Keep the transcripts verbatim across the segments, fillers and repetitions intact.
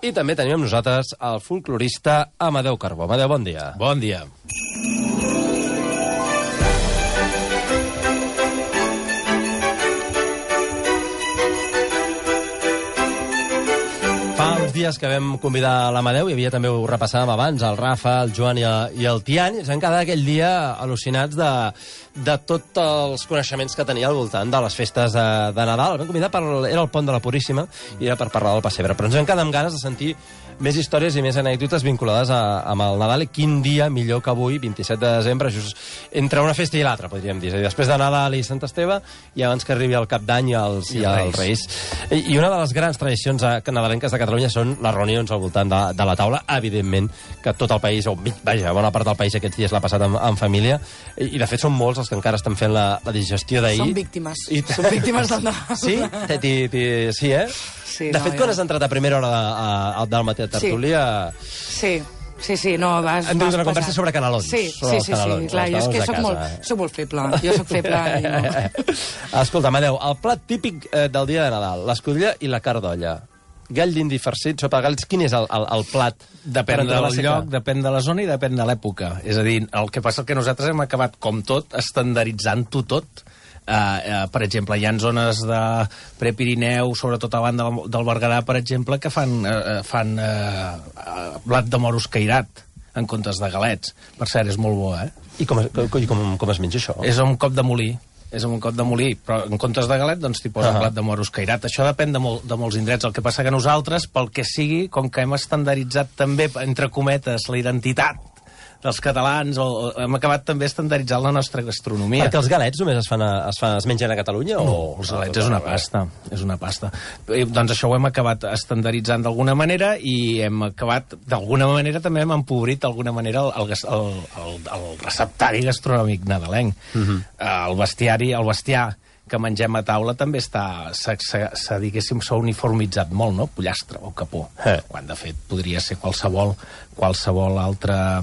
I també tenim amb nosaltres el folclorista Amadeu Carbó. Amadeu, bon dia. Bon dia. Fa uns dies que vam convidar l'Amadeu, hi havia també, ho repassàvem abans, el Rafa, el Joan i el, i el Tian, i ens vam quedar aquell dia al·lucinats de, de tots els coneixements que tenia al voltant de les festes de, de Nadal. El vam convidar, per, era el Pont de la Puríssima, i era per parlar del pessebre, però ens vam quedar amb ganes de sentir més històries i més anècdotes vinculades a, amb el Nadal, i quin dia millor que avui, vint-i-set de desembre, just entre una festa i l'altra, podríem dir. És a dir, després de Nadal i Sant Esteve, i abans que arribi el Cap d'Any i els, i els Reis. I, I una de les grans tradicions nadalenques de Catalunya són les reunions al voltant de, de la taula. Evidentment que tot el país, o vaja, bona part del país aquests dies l'ha passat en, en família, i, i de fet són molts els que encara estan fent la, la digestió d'ahir. Són víctimes. I... Són víctimes del Nadal. Sí? Ti, ti, sí, eh? Sí, de no, fet, ja. quan has entrat a primera hora de, a, a, del matí a tertúlia... Sí, sí, sí, no, vas... Hem tingut una conversa sobre canelons. Sí, sobre sí, sí, canelons, sí, clar, jo és que soc molt, soc molt feble, jo soc feble i no... Escolta, Amadeu, el plat típic eh, del dia de Nadal, l'escudella i la carn d'olla. Gall d'indi farcit, sopa de galls, quin és el, el, el plat? Depèn del lloc, depèn de la zona i depèn de l'època. És a dir, el que passa és que nosaltres hem acabat, com tot, estandarditzant-ho tot. Uh, uh, per exemple, hi ha zones de Prepirineu, sobretot a banda del, del Berguedà, per exemple, que fan, uh, fan uh, uh, blat de moro escairat en comptes de galets. Per cert, és molt bo, eh? I com, com, com, com es menja això? És un cop de molí. És un cop de molí, però en comptes de galet, doncs t'hi posen uh -huh. blat de moro escairat. Això depèn de, mol, de molts indrets. El que passa que nosaltres, pel que sigui, com que hem estandarditzat també, entre cometes, la identitat dels catalans, o, o hem acabat també estandarditzant la nostra gastronomia. Perquè els galets només es, fan a, es, fan, es mengen a Catalunya? No, o... els galets és una pasta. És una pasta. I, doncs això ho hem acabat estandarditzant d'alguna manera i hem acabat, d'alguna manera, també hem empobrit d'alguna manera el, el, el, el, el receptari gastronòmic nadalenc. Uh -huh. El bestiari, el bestiar que mengem a taula també està, s'ha, diguéssim, s'ha uniformitzat molt, no? Pollastre o capó. Eh. Quan, de fet, podria ser qualsevol, qualsevol altre,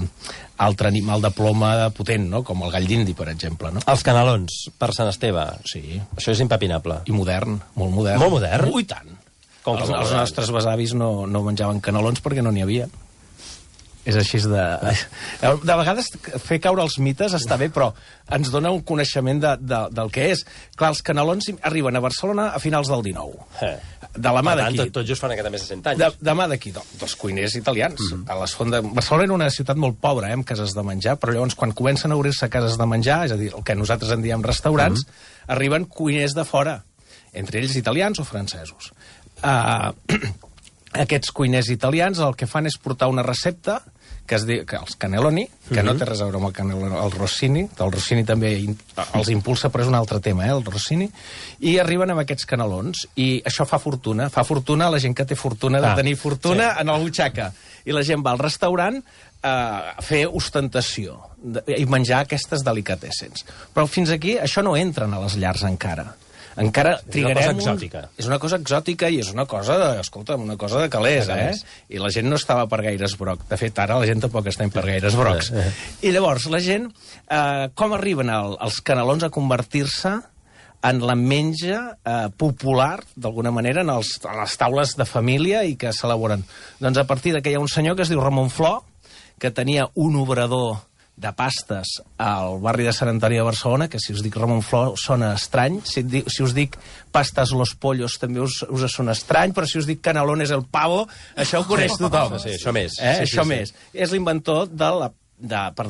altre animal de ploma potent, no? Com el gall d'indi, per exemple, no? Els canelons, per Sant Esteve. Sí. Això és impepinable. I modern, molt modern. Molt modern? Ui, tant. Com els, els nostres besavis no, no menjaven canelons perquè no n'hi havia. És així de... De vegades fer caure els mites està bé, però ens dona un coneixement de, de, del que és. Clar, els canelons arriben a Barcelona a finals del dinou. Eh. De la mà d'aquí. Tot, tot just fan aquesta més de cent anys. De, de mà d'aquí, dels cuiners italians. Uh -huh. A les fonts de... Barcelona era una ciutat molt pobra, eh, amb cases de menjar, però llavors quan comencen a obrir-se cases de menjar, és a dir, el que nosaltres en diem restaurants, uh -huh. arriben cuiners de fora, entre ells italians o francesos. Uh, aquests cuiners italians el que fan és portar una recepta que es diu, que els cannelloni, que uh-huh. no té res a veure amb el cannelloni, el rossini, el rossini també in, els impulsa, però és un altre tema, eh, el rossini, i arriben amb aquests canelons, i això fa fortuna, fa fortuna a la gent que té fortuna de ah, tenir fortuna sí. en la butxaca, i la gent va al restaurant a fer ostentació de, i menjar aquestes delicatessens. Però fins aquí això no entren a les llars encara. Encara trigarem... És una cosa exòtica. Un... És una cosa exòtica i és una cosa de, escolta, una cosa de calés, de calés. eh? I la gent no estava per gaires brocs. De fet, ara la gent tampoc està per gaires brocs. Eh, eh. I llavors, la gent, eh, com arriben el, els canelons a convertir-se en la menja eh, popular, d'alguna manera, en, els, en les taules de família i que s'elaboren? Doncs a partir que hi ha un senyor que es diu Ramon Flor, que tenia un obrador de pastes al barri de Sant Antoni de Barcelona, que si us dic Ramon Flor sona estrany, si, dic, si us dic pastes los pollos també us, us sona estrany, però si us dic canelones el pavo, això ho coneix tothom. Sí, això més. Eh? Sí, això sí, més. Sí. És l'inventor de la...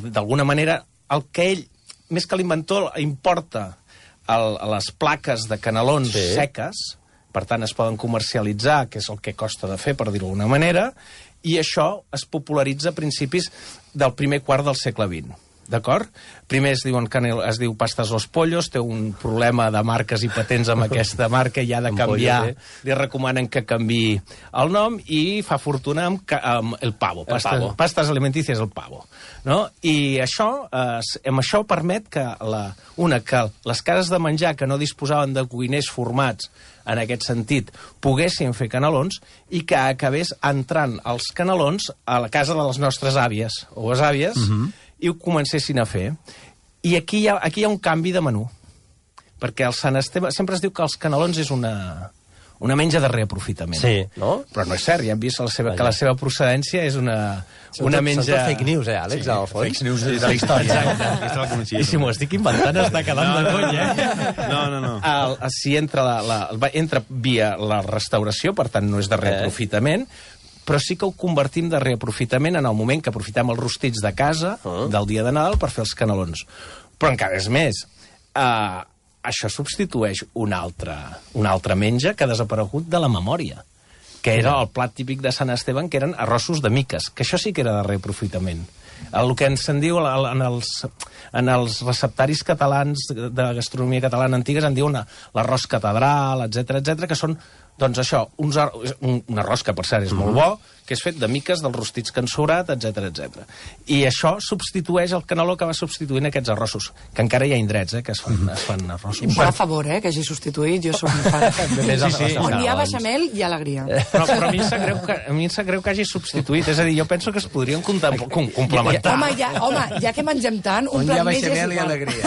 d'alguna manera, el que ell, més que l'inventor, importa el, les plaques de canelons sí. seques, per tant es poden comercialitzar, que és el que costa de fer, per dir-ho d'alguna manera, i això es popularitza a principis del primer quart del segle vint. D'acord? Primer es, diuen canel, es diu Pastes los Pollos, té un problema de marques i patents amb aquesta marca i ha de canviar, li recomanen que canviï el nom i fa fortuna amb, amb el pavo, pastes, el pavo. Pastes alimentícies el pavo. No? I això, eh, amb això permet que, la, una, que les cases de menjar que no disposaven de cuiners formats en aquest sentit, poguessin fer canelons i que acabés entrant els canelons a la casa de les nostres àvies o besàvies uh -huh. i ho comencessin a fer. I aquí hi ha, aquí hi ha un canvi de menú, perquè el Sant Esteve... Sempre es diu que els canelons és una, una menja de reaprofitament. Sí, no? Però no és cert, ja hem vist la seva, que la seva procedència és una, una tot, menja... Són tot fake news, eh, Àlex, sí, al fons? Fake news de la història. Exacte. I si m'ho estic inventant està quedant de conya, eh? No, no, no. El, si entra, la, la, entra via la restauració, per tant no és de reaprofitament, però sí que ho convertim de reaprofitament en el moment que aprofitem els rostits de casa uh. del dia de Nadal per fer els canelons. Però encara és més, uh, això substitueix un altre, un altre menja que ha desaparegut de la memòria, que era el plat típic de Sant Esteban, que eren arrossos de miques, que això sí que era de reaprofitament. El que ens en diu en els, en els receptaris catalans de gastronomia catalana antigues en diuen l'arròs catedral, etcètera, etcètera, que són, doncs això, uns ar un, un arròs que per cert és molt bo, que és fet de miques dels rostits que han sobrat, etcètera, etcètera. I això substitueix el caneló que va substituint aquests arrossos, que encara hi ha indrets, eh, que es fan, es fan arrossos. Per favor, eh, que hagi substituït, jo soc un fan. Sí, sí, sí. On hi ha beixamel, hi ha alegria. Però, però a mi em sap greu que, a mi em sap greu que hagi substituït, és a dir, jo penso que es podrien com complementar. Home, ja, home, ja que mengem tant, un plat més és igual. alegria.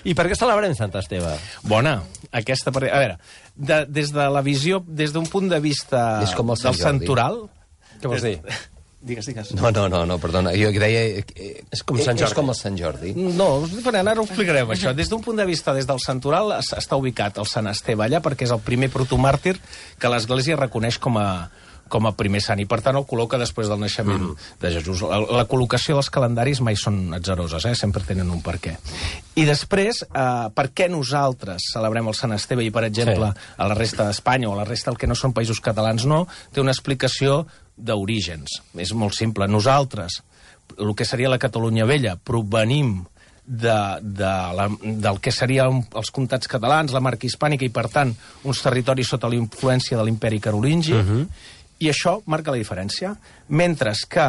I per què celebrem Sant Esteve? Bona, aquesta... A veure, de, des de la visió, des d'un punt de vista És com el Sant del santoral... Què vols dir? Digues, digues. No, no, no, no, perdona, jo que deia... Eh, És com Sant Jordi. És com el Sant Jordi. No, és diferent, ara ho explicarem, això. Des d'un punt de vista, des del santoral, es- està ubicat el Sant Esteve allà perquè és el primer protomàrtir que l'Església reconeix com a, com a primer sant, i per tant el col·loca després del naixement mm. de Jesús. La, la col·locació dels calendaris mai són atzaroses, eh? Sempre tenen un per què. I després, eh, per què nosaltres celebrem el Sant Esteve i, per exemple, sí. a la resta d'Espanya o a la resta del que no són països catalans no, té una explicació d'orígens. És molt simple. Nosaltres, el que seria la Catalunya Vella, provenim de, de la, del que serien els comtats catalans, la marca hispànica, i per tant uns territoris sota la influència de l'imperi carolingi, uh-huh. i això marca la diferència. Mentre que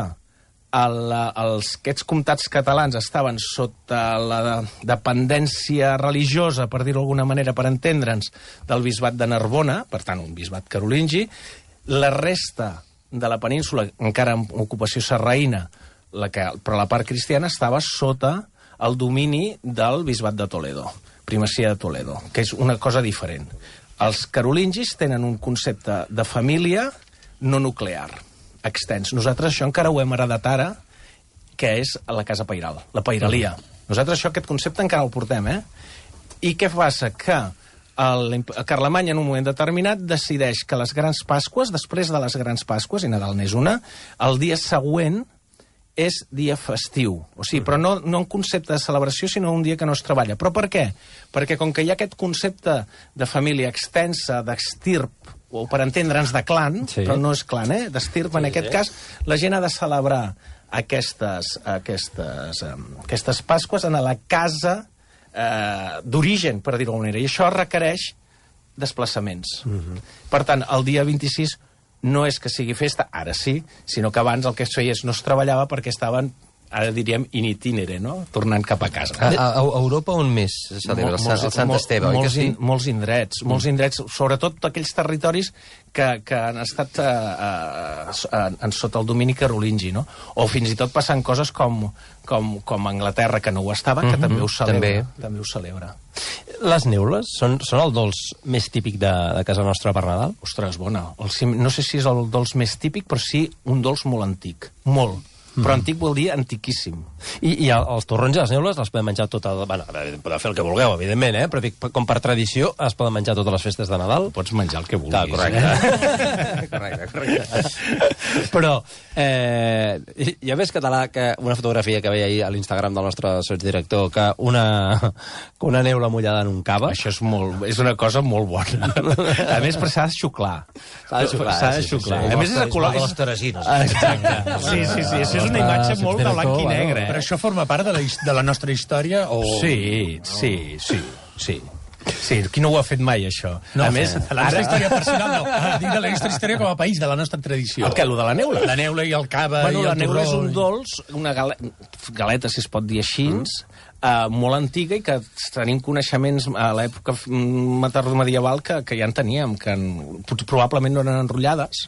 el, els, aquests comtats catalans estaven sota la dependència religiosa, per dir-ho d'alguna manera, per entendre'ns, del bisbat de Narbona, per tant un bisbat carolingi, la resta de la península, encara amb ocupació sarraïna, la que, però la part cristiana estava sota el domini del bisbat de Toledo, primacia de Toledo, que és una cosa diferent. Els carolingis tenen un concepte de família no nuclear, extens. Nosaltres això encara ho hem heredat ara, que és la casa pairal, la pairalia. Nosaltres això, aquest concepte encara el portem, eh? I què passa? Que el Carlemany en un moment determinat decideix que les grans Pasques, després de les grans Pasques, i Nadal n'és una, el dia següent és dia festiu. O sigui, però no, no un concepte de celebració, sinó un dia que no es treballa. Però per què? Perquè com que hi ha aquest concepte de família extensa, d'estirp, o per entendre'ns de clan, sí. però no és clan, eh? D'estirp, sí, en aquest sí. cas, la gent ha de celebrar aquestes, aquestes, um, aquestes Pasques en la casa eh, d'origen, per dir-ho d'alguna manera, i això requereix desplaçaments. Uh-huh. Per tant, el dia vint-i-sis no és que sigui festa, ara sí, sinó que abans el que es feia és no es treballava perquè estaven, ara diríem, in itinere, no? Tornant cap a casa. A, a, a Europa on més se celebra el, Sant, el Sant Esteve, oi que sí? In, molts indrets, mm. molts indrets, sobretot aquells territoris que, que han estat uh, uh, en sota el domini carolingi, no? O fins i tot passant coses com, com, com Anglaterra, que no ho estava, que mm-hmm. també ho celebra. També. també ho celebra. Les neules són, són el dolç més típic de, de casa nostra per Nadal? Ostres, bona. El, no sé si és el dolç més típic, però sí un dolç molt antic. Molt. Però mm. antic vol dir antiquíssim. I, i els torrons i les neules les podem menjar tot el... Bueno, podeu fer el que vulgueu, evidentment, eh? Però dic, com per tradició es poden menjar totes les festes de Nadal. Pots menjar el que vulguis. Clar, correcte. correcte, correcte. Però eh, ja ves, català, que una fotografia que veia ahir a l'Instagram del nostre sotsdirector, que una, que una neula mullada en un cava... Això és, molt, és una cosa molt bona. A més, però s'ha de xuclar. S'ha de xuclar. S'ha de xuclar. Sí, sí, sí. A més, és de color... És... les teresines. Exacte. Sí, sí, sí. Això és una imatge molt de blanc i negre. Però això forma part de la, de la nostra història? O... Sí, sí, sí, sí. Sí, qui no ho ha fet mai, això? No, a més, de la nostra ara... història personal, no. Dic de la nostra història com a país, de la nostra tradició. El què, el de la neula? La neula i el cava bueno, i el la neula és un i... dolç, una gale... galeta, si es pot dir així, mm. uh, molt antiga i que tenim coneixements a l'època medieval que, que ja en teníem, que en... probablement no eren enrotllades,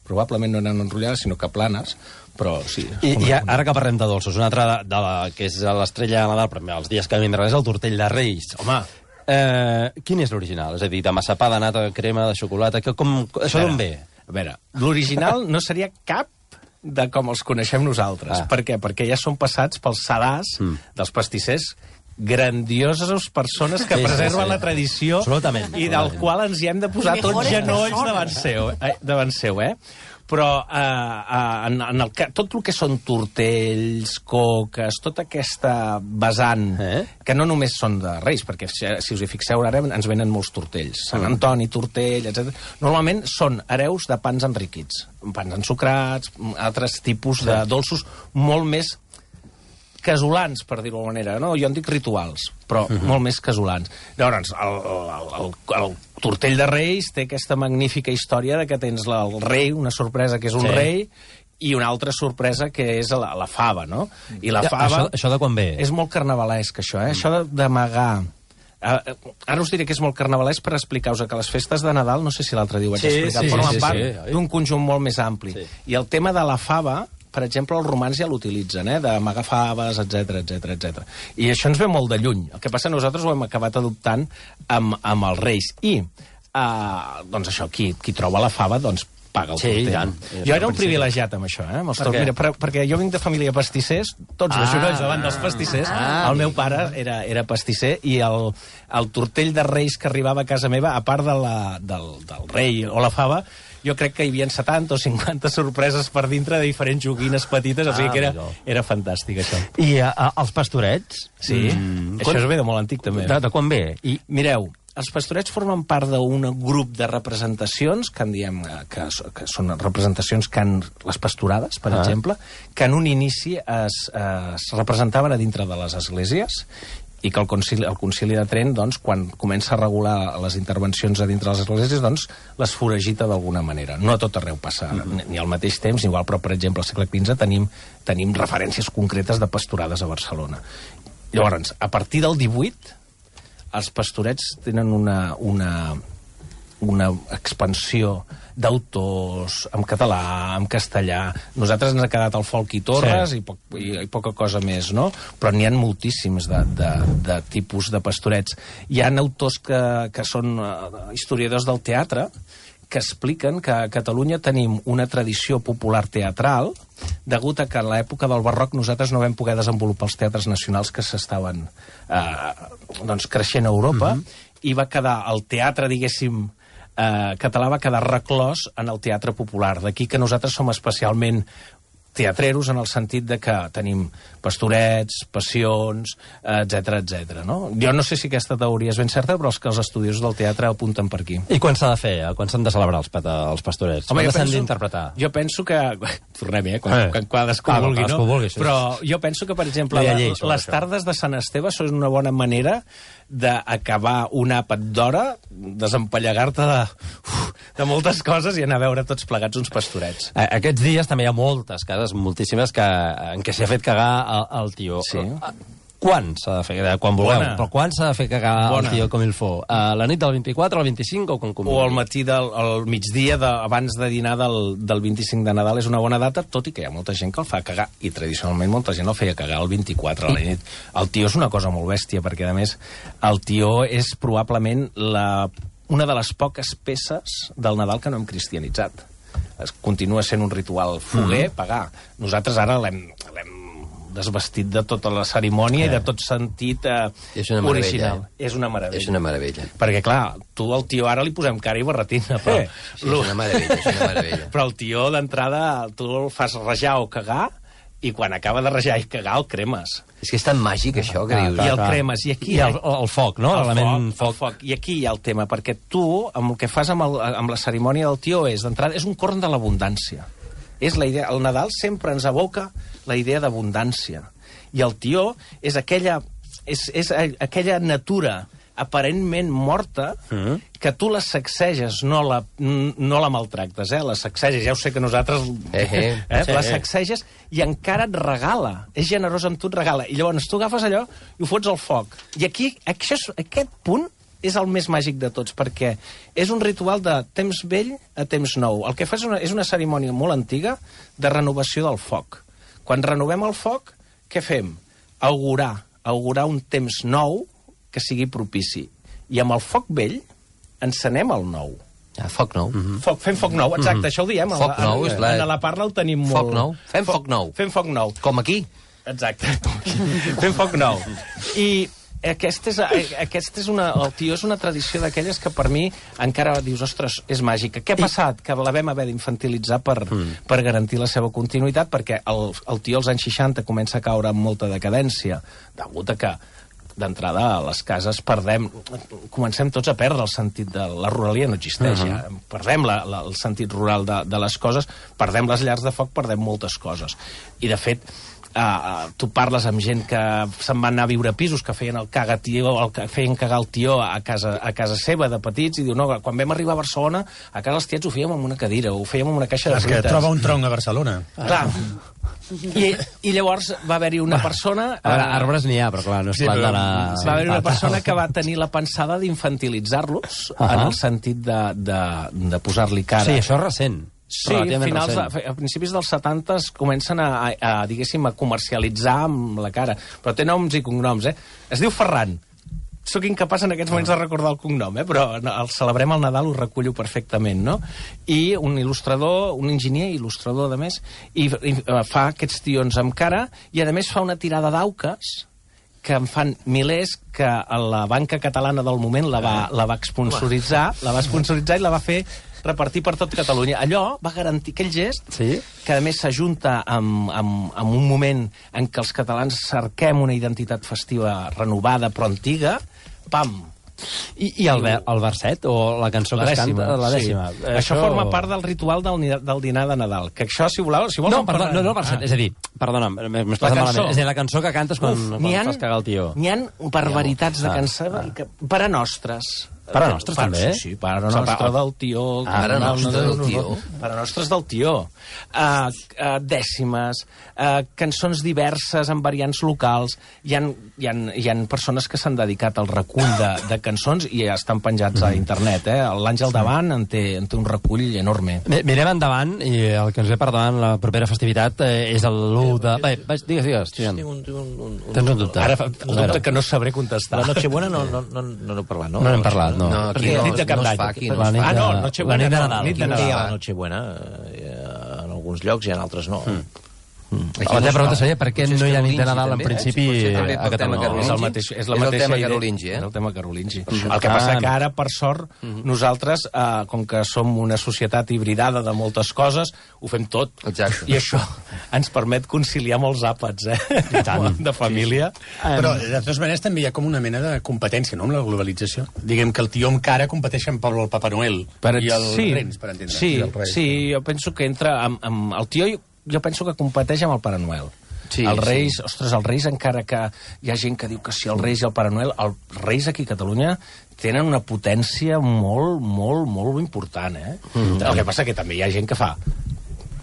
probablement no eren enrotllades, sinó que planes, però sí. I, i ara que parlem de dolços, una altra de, de la, que és l'estrella de Nadal, però els dies que vindran és el tortell de Reis. Home, Eh, quin és l'original? És a dir, de massapà, de nata, de crema, de xocolata... Que, com, això d'on ve? A veure, l'original no seria cap de com els coneixem nosaltres. Ah. Per què? Perquè ja són passats pels sedars mm. dels pastissers, grandioses persones que Sí, sí, preserven sí. la tradició Absolutament. i del qual ens hi hem de posar tots genolls davant seu, eh? davant seu, eh? Però eh, eh, en, en el, tot el que són tortells, coques, tota aquesta vessant, eh? que no només són de Reis, perquè si, si us hi fixeu ara ens venen molts tortells, Sant Antoni, tortell, etcètera. Normalment són hereus de pans enriquits, pans ensucrats, altres tipus de dolços molt més casolans, per dir-ho d'alguna manera. No, jo en dic rituals, però uh -huh. molt més casolans. Llavors, el, el, el, el tortell de Reis té aquesta magnífica història de que tens la, el rei, una sorpresa que és un sí. rei, i una altra sorpresa que és la, la fava, no? I la fava... Això, això de quan ve? És molt carnavalesc, això, eh? Mm. Això d'amagar... Uh, ara us diré que és molt carnavalesc per explicar-vos que les festes de Nadal, no sé si l'altre dia ho vaig sí, explicar, sí, formen sí, part sí, d'un conjunt molt més ampli. Sí. I el tema de la fava, per exemple, els romans ja l'utilitzen, eh? d'amagar faves, etcètera, etcètera, etcètera. I això ens ve molt de lluny. El que passa, nosaltres ho hem acabat adoptant amb, amb els Reis. I, uh, doncs això, qui, qui troba la fava, doncs paga el sí, tortell. tant. Jo era un privilegiat amb això, eh? Amb els per Mira, per, perquè jo vinc de família de pastissers, tots ah, de genolls davant dels pastissers. Ah, el meu pare era, era pastisser i el, el tortell de Reis que arribava a casa meva, a part de la, del, del rei o la fava, jo crec que hi havia setanta o cinquanta sorpreses per dintre de diferents joguines petites, o sigui que era, era fantàstic, això. I uh, els pastorets? Sí, mm, això quan... ve de molt antic, també. De, de quan ve? I... Mireu, els pastorets formen part d'un grup de representacions, que en diem que, que són representacions que han, les pastorades, per ah. exemple, que en un inici es, es representaven a dintre de les esglésies, i que el concili, el concili de Trent, doncs, quan comença a regular les intervencions a dintre de les esglésies, doncs, les foragita d'alguna manera. No a tot arreu passa, mm-hmm. ni al mateix temps, ni igual, però, per exemple, al segle quinze tenim, tenim referències concretes de pastorades a Barcelona. Llavors, a partir del divuit, els pastorets tenen una, una, una expansió d'autors en català, en castellà. Nosaltres ens ha quedat el folk i Torres sí. i, poc, i, i poca cosa més, no? Però n'hi ha moltíssims de, de, de tipus de pastorets. Hi ha autors que, que són uh, historiadors del teatre que expliquen que a Catalunya tenim una tradició popular teatral degut a que en l'època del barroc nosaltres no vam poder desenvolupar els teatres nacionals que s'estaven eh, doncs, creixent a Europa mm-hmm. i va quedar el teatre, diguéssim, eh, català va quedar reclòs en el teatre popular. D'aquí que nosaltres som especialment teatreros en el sentit de que tenim pastorets, passions, etcètera, etcètera, no? Jo no sé si aquesta teoria és ben certa, però els que els estudiosos del teatre apunten per aquí. I quan s'ha de fer? Quan s'han de celebrar els, els pastorets? Home, quan s'han penso, d'interpretar? Jo penso que... Tornem, eh? Quan, eh. quan cadascú ah, vulgui, no? vulgui, sí. Però jo penso que, per exemple, no lleis, les això. tardes de Sant Esteve són una bona manera d'acabar un àpat d'hora, desempallegar-te de, uf, de moltes coses i anar a veure tots plegats uns pastorets. Aquests dies també hi ha moltes cases, moltíssimes, que, en què s'ha fet cagar el, el tio. Sí. Quan s'ha de fer? Quan voleu, Bona. però quan s'ha de fer cagar Bona. el tio com il fo? A la nit del vint-i-quatre, al vint-i-cinc o com com? O al matí del al migdia de, abans de dinar del, del vint-i-cinc de Nadal és una bona data, tot i que hi ha molta gent que el fa cagar, i tradicionalment molta gent el feia cagar el vint-i-quatre a la nit. El tio és una cosa molt bèstia, perquè a més el tio és probablement la, una de les poques peces del Nadal que no hem cristianitzat. Es continua sent un ritual foguer, mm-hmm. pagar. Nosaltres ara l'hem desvestit de tota la cerimònia eh. i de tot sentit eh, és una original. Eh? És una meravella. És una meravella. Perquè, clar, tu al tio ara li posem cara i barretina, però... Eh. Sí, és una meravella, és una meravella. Però el tio, d'entrada, tu el fas rajar o cagar, i quan acaba de rajar i cagar, el cremes. És que és tan màgic, això, que ah, dius. I el cremes, i aquí... I el, el foc, no? El foc, foc. el foc. I aquí hi ha el tema, perquè tu, amb el que fas amb, el, amb la cerimònia del tio és, d'entrada, és un corn de l'abundància. És la idea... El Nadal sempre ens evoca la idea d'abundància. I el tió és aquella, és, és aquella natura aparentment morta mm. que tu la sacseges, no la, no la maltractes, eh? La sacseges, ja ho sé que nosaltres... Eh, eh. eh? Sí, la eh. sacseges i encara et regala. És generós amb tu, et regala. I llavors tu agafes allò i ho fots al foc. I aquí, això, aquest punt és el més màgic de tots, perquè és un ritual de temps vell a temps nou. El que fa és una, és una cerimònia molt antiga de renovació del foc. Quan renovem el foc, què fem? Augurar, augurar un temps nou que sigui propici. i amb el foc vell encenem el nou. Ah, foc nou. Mm-hmm. Foc, fem foc nou, exacte, mm-hmm. això ho diem. Foc nou, és la... En la parla ho tenim molt... Foc nou. Fem foc, foc nou. Fem foc nou. Com aquí. Exacte. Fem foc nou. I aquesta és, aquesta és una... El tió és una tradició d'aquelles que per mi encara dius, ostres, és màgica. Què ha passat? Que la vam haver d'infantilitzar per, mm. per garantir la seva continuïtat, perquè el, el tió als anys seixanta comença a caure amb molta decadència, degut a que d'entrada a les cases perdem, comencem tots a perdre el sentit de la ruralia, no existeix ja, uh -huh. perdem la, la, el sentit rural de, de les coses, perdem les llars de foc, perdem moltes coses. I de fet, Uh, tu parles amb gent que se'n va anar a viure a pisos, que feien el caga tió, el que feien cagar el tió a casa, a casa seva de petits, i diu, no, quan vam arribar a Barcelona, a casa els tiets ho fèiem amb una cadira, ho fèiem amb una caixa de fruites. És que troba un tronc a Barcelona. Clar. I, I llavors va haver-hi una persona... A veure, arbres n'hi ha, però clar, no és sí, plat de la... Va haver-hi una persona que va tenir la pensada d'infantilitzar-los, uh -huh. en el sentit de, de, de posar-li cara. Sí, això és recent. Sí, a, finals de, a principis dels setanta comencen a, a, a, diguéssim, a comercialitzar amb la cara. Però té noms i cognoms, eh? Es diu Ferran. Soc incapaç en aquests moments de recordar el cognom, eh? Però el celebrem el Nadal, ho recullo perfectament, no? I un il·lustrador, un enginyer il·lustrador, a més, i, i fa aquests tions amb cara, i a més fa una tirada d'auques que en fan milers, que la banca catalana del moment la va, la va sponsoritzar, la va sponsoritzar i la va fer repartir per tot Catalunya. Allò va garantir aquell gest, sí? que a més s'ajunta amb, amb, amb un moment en què els catalans cerquem una identitat festiva renovada però antiga, pam! I, i el, ver, el verset, o la cançó la que dècima, es canta, la dècima. Sí. Això... això forma part del ritual del, del dinar de Nadal. Que això, si voleu... Si vols no, perdó, no, no, el verset, ah. és a dir, perdona, m'has passat malament. És a dir, la cançó que cantes quan, Uf, quan fas cagar el tió. N'hi ha barbaritats de cançó ah. que, per a nostres... Per a nostres, per, també? Sí, sí, per a nostres del tió. Ah, per a nostres del tió. Per a nostres del tió. Uh, uh, dècimes, uh, cançons diverses amb variants locals. Hi ha, hi ha, hi ha persones que s'han dedicat al recull de, de cançons i ja estan penjats a internet. Eh? L'Àngel Davant en té, en té un recull enorme. Mirem endavant, i el que ens ve per davant la propera festivitat eh, és l'u de... Bé, digues, digues. Tinc un, un, un, Tens un dubte. Ara, el dubte que no sabré contestar. La Nochebuena no n'hem no, no, no parlat, no? No n'hem parlat. No, no aquí no, nit de Cap no es d'Any. fa aquí. No la nit ah, no, de, Nochebuena, la nit de no, Nadal. nit de Aquí Nadal. hi ha la Nochebuena, eh, en alguns llocs i en altres no. Mm. Mm. La teva pregunta seria per què no hi ha nit de Nadal en principi eh? a Catalunya. No, és el mateix, és la és mateixa el tema idea. carolingi, eh? És el tema carolingi. Mm. El que passa que ara, per sort, mm. nosaltres, eh, com que som una societat hibridada de moltes coses, ho fem tot. Exacte. I això ens permet conciliar molts àpats, eh? De família. Sí. Però, de totes maneres, també hi ha com una mena de competència, no?, amb la globalització. Diguem que el tió amb cara competeixen per el Papa Noel per, i el sí, Rens, per entendre. Sí, el Reis, sí, jo penso que entra amb, amb el tió, jo penso que competeix amb el Pare Noel. Sí, els Reis, sí. ostres, els Reis, encara que hi ha gent que diu que sí, els Reis i el Pare Noel, els Reis aquí a Catalunya tenen una potència molt, molt, molt important, eh? Mm. El que passa que també hi ha gent que fa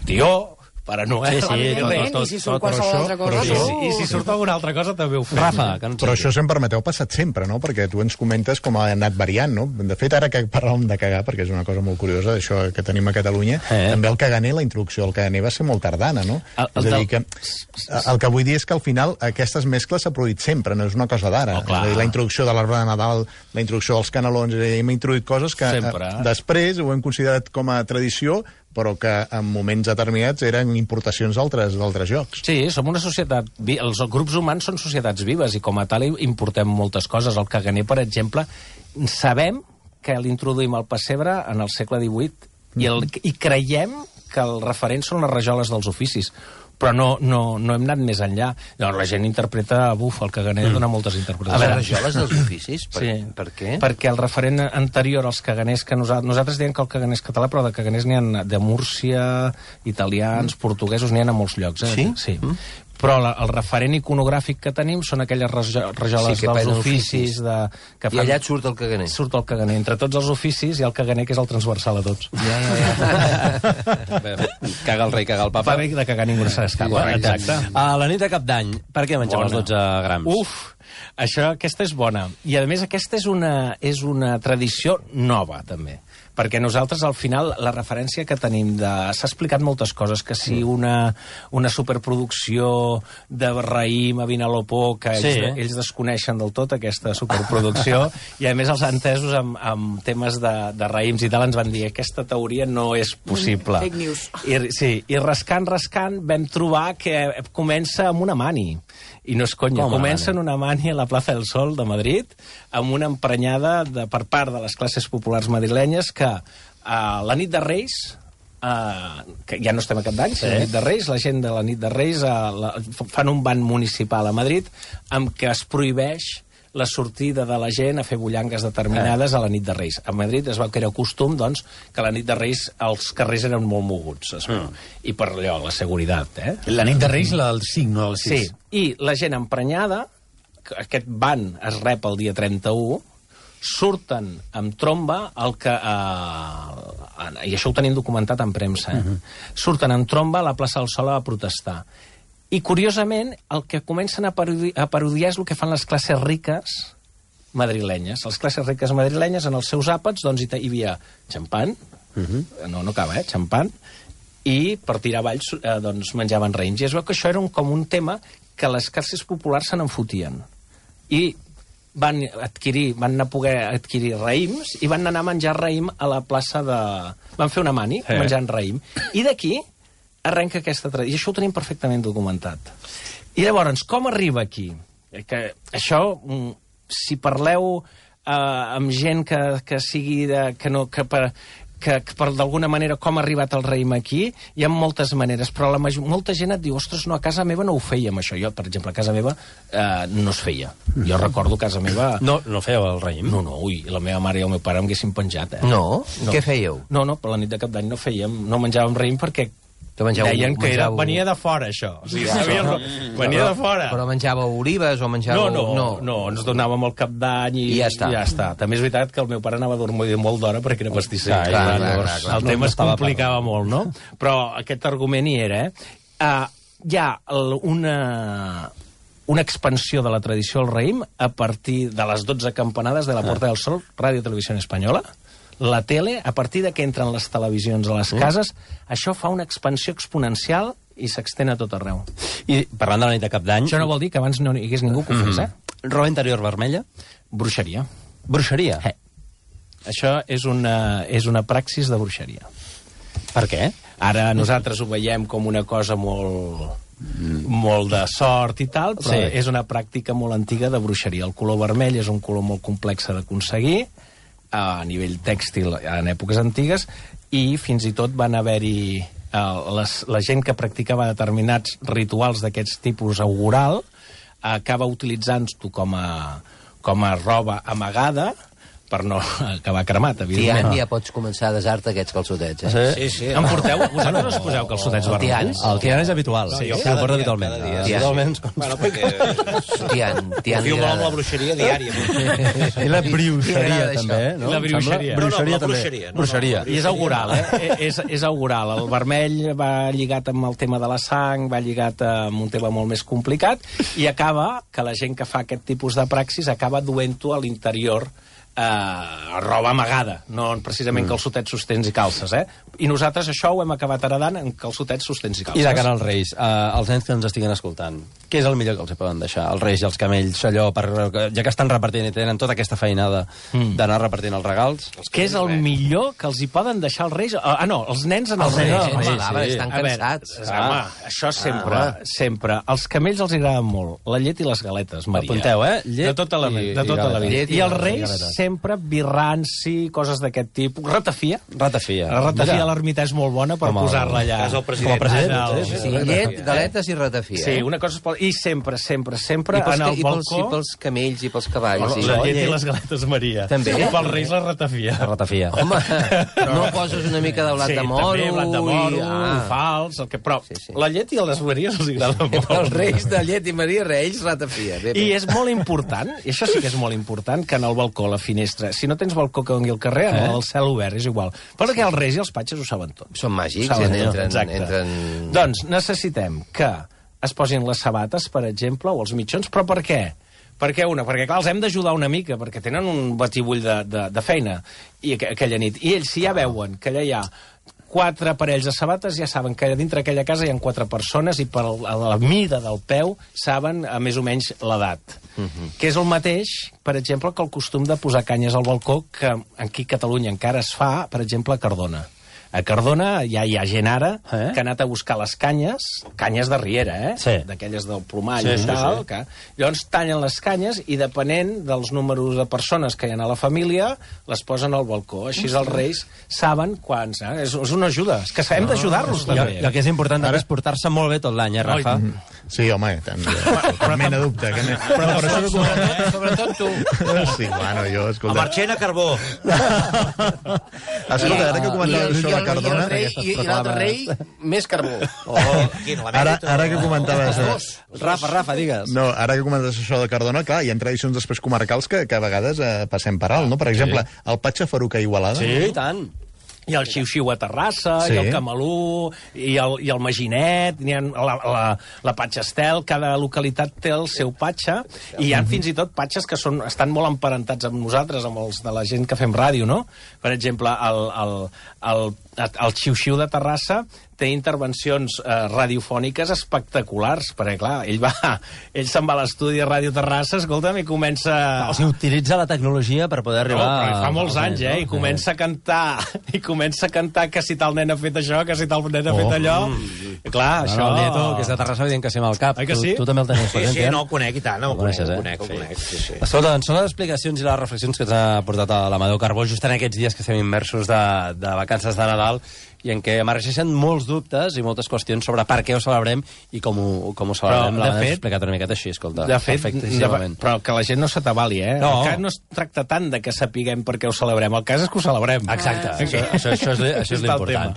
tió, Pare Noel... Sí, sí, evidentment, i si surt qualsevol altra cosa... I, si, I si surt alguna altra cosa també ho fem. Rafa, que no Però això, si em permeteu, ha passat sempre, no? Perquè tu ens comentes com ha anat variant, no? De fet, ara que parlàvem de cagar, perquè és una cosa molt curiosa, això que tenim a Catalunya, eh. també el caganer, la introducció del caganer va ser molt tardana, no? El, el és a del... dir, que el que vull dir és que al final aquestes mescles s'ha produït sempre, no és una cosa d'ara. Oh, és a dir, la introducció de l'arbre de Nadal, la introducció dels canelons, és a dir, hem introduït coses que sempre. eh, després ho hem considerat com a tradició, però que en moments determinats eren importacions d'altres d'altres llocs. Sí, som una societat... Els grups humans són societats vives i com a tal importem moltes coses. El caganer, per exemple, sabem que l'introduïm al pessebre en el segle divuit i, el, i creiem que el referent són les rajoles dels oficis, però no, no, no hem anat més enllà. Llavors, la gent interpreta, buf, el caganer mm. dona moltes interpretacions. A veure, rajoles dels oficis? Per, sí. per què? Perquè el referent anterior als caganers que nosaltres... Nosaltres diem que el caganer és català, però de caganers n'hi ha de Múrcia, italians, mm. portuguesos, n'hi ha a molts llocs. Eh? Sí? Sí. Mm. Però la, el referent iconogràfic que tenim són aquelles rajoles sí, dels oficis. De, que fan, I allà et surt el caganer. Surt el caganer. Entre tots els oficis hi ha el caganer, que és el transversal a tots. Ja, ja, ja. Caga el rei, caga el papa. Per de cagar ningú no se n'escapa. Exacte. A la nit de Cap d'Any, per què mengem bona. els dotze grams? Uf, això, aquesta és bona. I, a més, aquesta és una, és una tradició nova, també. perquè nosaltres, al final, la referència que tenim de... S'ha explicat moltes coses, que si una, una superproducció de raïm a Vinalopó, que Sí. ells, ells desconeixen del tot aquesta superproducció, i a més els entesos amb, amb temes de, de raïms i tal ens van dir aquesta teoria no és possible. Fake news. I, sí, i rascant, rascant, vam trobar que comença amb una mani. I no és conya, Com comença mani? en una mani a la plaça del Sol de Madrid amb una emprenyada de, per part de les classes populars madrilenyes que a la nit de Reis, uh, que ja no estem a cap d'any, sí. La nit de Reis, la gent de la nit de Reis uh, la, fan un ban municipal a Madrid amb què es prohibeix la sortida de la gent a fer bullangues determinades eh. a la nit de Reis. A Madrid es va crear costum, doncs, que a la nit de Reis els carrers eren molt moguts, es veu. Mm. I per allò, la seguretat, eh? La nit de Reis, la del cinc, no del sis. Sí, i la gent emprenyada, aquest ban es rep el dia trenta-u, surten amb tromba el que... Eh, i això ho tenim documentat en premsa, eh? Uh-huh. Surten amb tromba a la plaça del Sol a protestar. I, curiosament, el que comencen a, parodi a parodiar és el que fan les classes riques madrilenyes. Les classes riques madrilenyes, en els seus àpats, doncs, hi, hi havia xampan, uh-huh. no, no acaba, eh? Xampan, i per tirar avalls eh, doncs, menjaven raïms. I es veu que això era un, com un tema que les classes populars se n'enfotien. I van adquirir, van anar a poder adquirir raïms i van anar a menjar raïm a la plaça de... Van fer una mani eh. menjant raïm. I d'aquí arrenca aquesta tradició. I això ho tenim perfectament documentat. I llavors, com arriba aquí? Que això, si parleu eh, amb gent que, que sigui de... que no... que per, que, que per d'alguna manera com ha arribat el raïm aquí, hi ha moltes maneres, però la major, molta gent et diu, ostres, no, a casa meva no ho fèiem, això. Jo, per exemple, a casa meva eh, no es feia. Jo recordo a casa meva... No, no fèieu el raïm? No, no, ui, la meva mare i el meu pare em haguessin penjat, eh? No? no? Què fèieu? No, no, per la nit de cap d'any no fèiem, no menjàvem raïm perquè menjàveu, deien que era, menjàveu... venia de fora, això. O sigui, sabia, no, venia però, de fora. Però menjàveu olives o menjàveu... No, no, no, no ens donàvem el cap d'any i, I ja està. i ja està. També és veritat que el meu pare anava a dormir molt d'hora perquè era pastisser. Clar, clar, clar, clar, clar. El No, tema no es complicava per... molt, no? Però aquest argument hi era, eh? Uh, hi ha una... una expansió de la tradició del raïm a partir de les dotze campanades de la Porta del Sol, Ràdio Televisió Espanyola. La tele, a partir de que entren les televisions a les cases, això fa una expansió exponencial i s'extén a tot arreu. I parlant de la nit de cap d'any... Això no vol dir que abans no hi hagués ningú que ho fes, eh? Roba interior vermella? Bruixeria. Bruixeria? Eh. Això és una, és una praxis de bruixeria. Per què? Ara nosaltres ho veiem com una cosa molt... molt de sort i tal, però Sí. és una pràctica molt antiga de bruixeria. El color vermell és un color molt complex d'aconseguir, a nivell tèxtil en èpoques antigues, i fins i tot van haver-hi eh, les, la gent que practicava determinats rituals d'aquests tipus augural acaba utilitzant-ho com a, com a roba amagada per no acabar cremat, Tian, evidentment. ja pots començar a desar-te aquests calçotets, eh? Sí, Sí, sí. Em porteu? Vosaltres us poseu calçotets El Tian. vermells? El Tian és habitual. Sí, jo cada ho porto dia, habitualment. cada dia. Sí. Habitualment. Bueno, perquè Tian, Tian confio molt en la agrada. bruixeria diària. I la bruixeria, Li agrada també, això. no? La Em bruixeria. sembla? No, no, Bruixeria, la també. bruixeria, no, no, bruixeria. la I és augural, eh? és, és augural. El vermell va lligat amb el tema de la sang, va lligat amb un tema molt més complicat, i acaba que la gent que fa aquest tipus de praxis acaba duent-ho a l'interior eh, roba amagada, no precisament mm. calçotets, sostens i calces, eh? I nosaltres això ho hem acabat heredant en calçotets, sostens i calces. I de cara als Reis, eh, els nens que ens estiguen escoltant, què és el millor que els hi poden deixar? Els Reis i els camells, allò, per, ja que estan repartint i tenen tota aquesta feinada mm. d'anar repartient els regals? Què és el millor que els hi poden deixar els Reis? Ah, no, els nens en els, Els Reis. nens, sí, home, sí. estan A veure, cansats. home, això sempre, Ah. sempre. Els camells els agraden molt. La llet i les galetes, Maria. Apunteu, eh? Llet de tota la, i- de tota i la vida. galetes. I, Llet i els Reis galetes. sempre birranci, coses d'aquest tipus. Ratafia. Ratafia. La ratafia Mira. a l'ermità és molt bona per Com el- posar-la allà. És el president. Com el president, En el- sí, Sí, llet, galetes i ratafia. Sí, una cosa es pot... I sempre, sempre, sempre I pels, en el i, pels, balcó... I pels camells i pels cavalls. Bueno, i... la llet i les galetes, Maria. També. I pels Reis la ratafia. La ratafia. Home, no poses una mica de blat Sí, de moro... també blat de moro, i... ah. fals, el que... Però Sí, sí. la llet i les Maries els agrada molt. Els Reis de llet i Maria Reis, ratafia. Bé, bé. I és molt important, i això sí que és molt important, que en el balcó, a la finestra, si no tens balcó que doni al carrer, eh? el cel obert és igual. Perquè els Reis i els patges ho saben tot. Són màgics, Ho saben en- tot, entren... exacte. entren... Doncs necessitem que es posin les sabates, per exemple, o els mitjons, però per què? Per què una? Perquè, clar, els hem d'ajudar una mica, perquè tenen un batibull de, de, de feina i aqu aquella nit. I ells, si ja veuen que allà hi ha quatre parells de sabates, ja saben que dintre aquella casa hi ha quatre persones i per la mida del peu saben a més o menys l'edat. Uh-huh. Que és el mateix, per exemple, que el costum de posar canyes al balcó, que aquí a Catalunya encara es fa, per exemple, a Cardona. A Cardona ja hi ha gent ara eh? que ha anat a buscar les canyes, canyes de riera, eh? Sí. D'aquelles del plomall sí, i tal. Sí, sí. Que... Llavors tallen les canyes i depenent dels números de persones que hi ha a la família, les posen al balcó. Així els reis saben quants. Eh? És, és una ajuda. És que hem d'ajudar-los no, també. I el que és important ara és portar-se molt bé tot l'any, eh, Rafa? Sí, home, tant. Cap mena dubte. Que me... Però, però, però sobretot, sobretot tu. Sí, bueno, jo, escolta... A Marchena, carbó. Escolta, ara que comentaves això de Cardona... I, i, i l'altre rei, més carbó. Oh, ara, ara que comentaves... Rafa, Rafa, digues. No, ara que comentaves això de Cardona, clar, hi ha tradicions després comarcals que, que a vegades eh, passem per alt, no? Per exemple, sí. El Patxa Faruca a Igualada. Sí, i tant. I el xiu-xiu a Terrassa, sí. I el Camalú, i el, i el Maginet, hi ha la, la, la Patxa Estel, cada localitat té el seu patxa, i hi ha fins i tot patxes que són, estan molt emparentats amb nosaltres, amb els de la gent que fem ràdio, no? Per exemple, el, el, el, el xiu-xiu de Terrassa té intervencions eh, radiofòniques espectaculars, perquè, clar, ell va, ell se'n va a l'estudi de Ràdio Terrassa, escolta'm, i comença... O sigui, utilitza la tecnologia per poder arribar... No, però fa molts anys, eh? I comença a cantar, i comença a cantar que si tal nen ha fet això, que si tal nen ha fet allò... I clar, això... El Nieto, que és de Terrassa, evident que sí amb el cap. Oi que sí? Tu, tu també el tenies sí, present, sí, no, el conec i tant, no, el conec, el conec, el conec, sí, sí. Escolta, doncs són les explicacions i les reflexions que ens ha portat a l'Amadeu Carbó just en aquests dies que estem immersos de, de vacances de Nadal i en què emergeixen molts dubtes i moltes qüestions sobre per què ho celebrem i com ho, com ho celebrem. L'Amadeu ha explicat una miqueta així, escolta. De fet, de, però que la gent no s'atabali, eh? No. El cas no es tracta tant de que sapiguem per què ho celebrem, el cas és que ho celebrem. Exacte, això, això, això és, això és l'important.